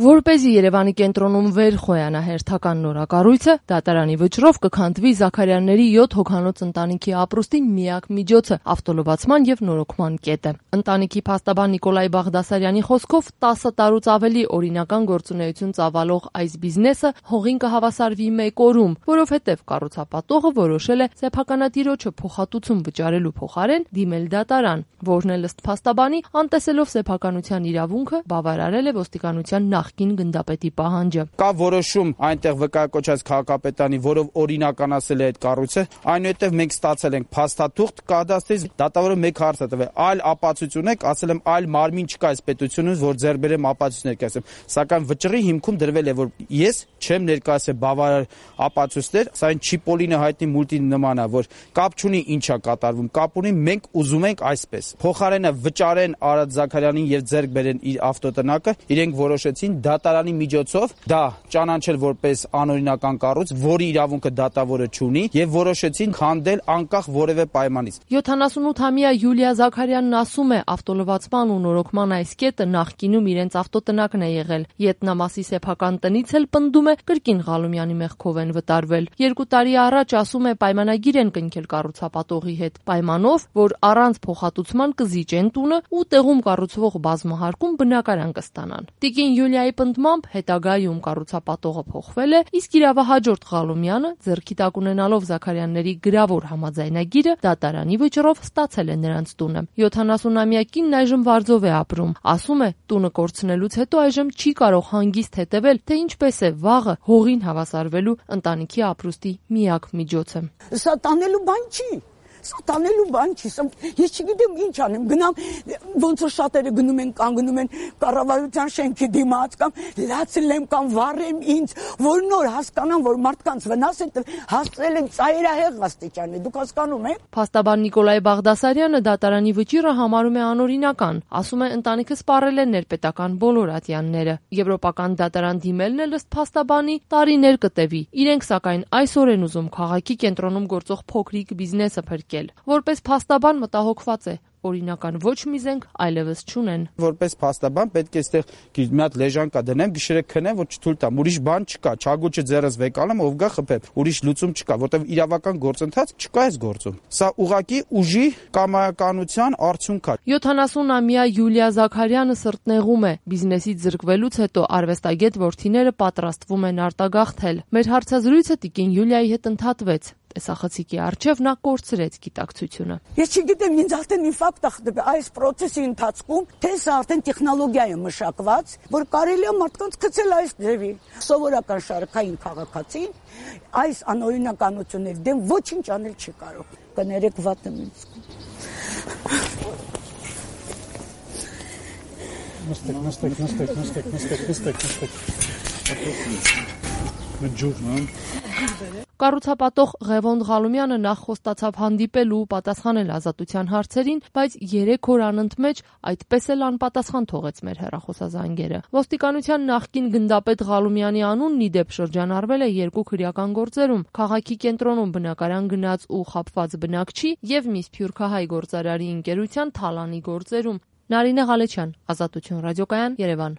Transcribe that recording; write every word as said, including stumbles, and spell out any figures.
Որպեսզի Երևանի կենտրոնում վեր խոյանա հերթական նորակառույցը, դատարանի վճռով կքանդվի Զաքարյանների յոթ հոգանոց ընտանիքի ապրուստի միակ միջոցը՝ ավտոլվացման և նորոգման կետը։ Ընտանիքի փաստաբան Նիկոլայ Բաղդասարյանի խոսքով տասը տարուց ավելի օրինական գործունեություն ծավալող այս բիզնեսը հողին կհավասարվի մեկ օրում, որովհետև կառուցապատողը որոշել է սեփականատիրոջը փոխհատուցում վճարելու փոխարեն դիմել դատարան, որն էլ ըստ փաստաբանի, անտեսելով սեփականության իրավունքը, բավարարել է ոստիկանության նախկին գնդապետի պահանջը։ Կա որոշում այնտեղ վկայակոչած քաղաքապետարանի, որով օրինականացել է այդ կառույցը, այնուհետև մենք ստացել ենք փաստաթուղթ կադաստրից, դատավորը մեկ հարց է տվել, այլ ապացույց ունեք, ասել եմ այլ մարմին չկա այս պետությունում, որ ձեռք բերեմ ապացույց ներկայացնեմ, սակայն վճռի հիմքում դրվել է, որ ես չեմ ներկայացրել բավարար ապացույցներ, սա այն Չիպոլինը հայտնի մուլտի նման է, որ կապ չունի ինչա կատարվում, կապ ունի մենք ուզում ենք այսպես։ Փոխարենը վճարեն Արադ Զաքարյանին եւ ձեռք բերեն իր ավտոտնակը, իրենք որոշեցին դատարանի միջոցով դա ճանաչել որպես անօրինական կառույց, որի իրավունքը դատավորը չունի, եւ որոշեցին քանդել անկախ որևէ պայմանից։ յոթանասունութամյա Յուլիա Զաքարյանն ասում է, ավտոլվացման ու նորոգման այս կետը նախկինում իրենց ավտոտնակն է եղել։ Ետնամասի սեփական տնից էլ պնդում է կրկին Ղալումյանի մեղքով են վտարվել։ Երկու տարի առաջ, ասում է, պայմանագիր են կնքել կառուցապատողի հետ, պայմանով, որ առանց փոխհատուցման կզիջեն տունը ու տեղում կառուցվող բազմահարկում բնակարան կստանան։ Տիկին Յուլիայի պնդմամբ հետագայում կառուցապատողը փոխվել է, իսկ իրավահաջորդ Ղալումյանը, ձեռքի տակ ունենալով Զաքարյանների գրավոր համաձայնագիրը, դատարանի վճռով ստացել է նրանց տունը։ յոթանասունամյա կինն այժմ վարձով է ապրում։ Ասում է, տունը կորցնելուց հետո այժմ չի կարող հանգիստ հետևել, թե ինչպես է վաղը հողին հավասարվելու ընտանիքի ապրուստի միակ միջոցը։ Սա տանելու բան չի։ Սա տանելու բան չի, ես չգիտեմ ինչ անեմ, գնամ, ոնց որ շատերը գնում են, կանգնում են կառավարության շենքի դիմաց կամ լացել կամ վառեմ ինձ, որ նոր հասկանան, որ մարդկանց վնաս են հասցրել են ծայրահեղ աստիճանի, դուք հասկանում եք։ Փաստաբան Նիկոլայ Բաղդասարյանը դատարանի վճիռը համարում է անօրինական, ասում է ընտանիքը սպառել է ներպետական բոլոր ատյանները։ Եվրոպական դատարան դիմելն էլ ըստ փաստաբանի տարիներ կտևի։ Իրենք սակայն այսօր են ուզում քաղաքի կենտրոնում գործող փոքրիկ բիզնեսը փրկել։ Որպես փաստաբան մտահոգված է, օրինական ոչ մի զենք այլևս չունեն։ Որպես փաստաբան պետք է այստեղ մի հատ լեժան կա դնեմ, գիշերը քնեմ, որ չթույլ տամ, ուրիշ բան չկա, չագուճը ձեռս վեկալեմ, ով գա խփեմ, ուրիշ լուծում չկա, որտեղ իրավական գործընթաց չկա այս գործում։ Սա ուղղակի ուժի կամայականության արդյունք է։ յոթանասունամյա Յուլիա Զաքարյանը սրտնեղում է, բիզնեսից զրկվելուց հետո արվեստագետ որդիները պատրաստվում են արտագաղթել։ Մեր հարցազրույցը տիկին Յուլիայի հետ ընդհատվեց։ Տեսախցիկի առջև նա կորցրեց գիտակցությունը։ Ես չգիտեմ, ինձ արդեն ինֆարկտ է այս process-ի ընթացքում, թե սա արդեն տեխնոլոգիա է մշակված, որ կարելի է մարդկանց գցել այս ձևի։ Սովորական շարքային քաղաքացին այս անօրինականությունների դեմ ոչինչ անել չի կարող։ Կներեք վատ եմ ինձ։ Նստեք, նստեք, նստեք, նստեք, նստեք, նստեք, նստեք։ Կառուցապատող Ղևոնդ Ղալումյանը նախ խոստացավ հանդիպել ու պատասխանել ազատության հարցերին, բայց երեք օր անընդմեջ այդպես էլ անպատասխան թողեց մեր հեռախոսազանգերը։ Ոստիկանության նախկին գնդապետ Ղալումյանի անունն ի դեպ շրջանառվել է երկու քրեական գործերում՝ քաղաքի կենտրոնում բնակարան գնաց ու խաբված բնակչի եւ մի սփյուռքահայ գործարարի ընկերության թալանի գործերում։ Նարինե Ղալեչյան, Ազատություն ռադիոկայան, Երևան։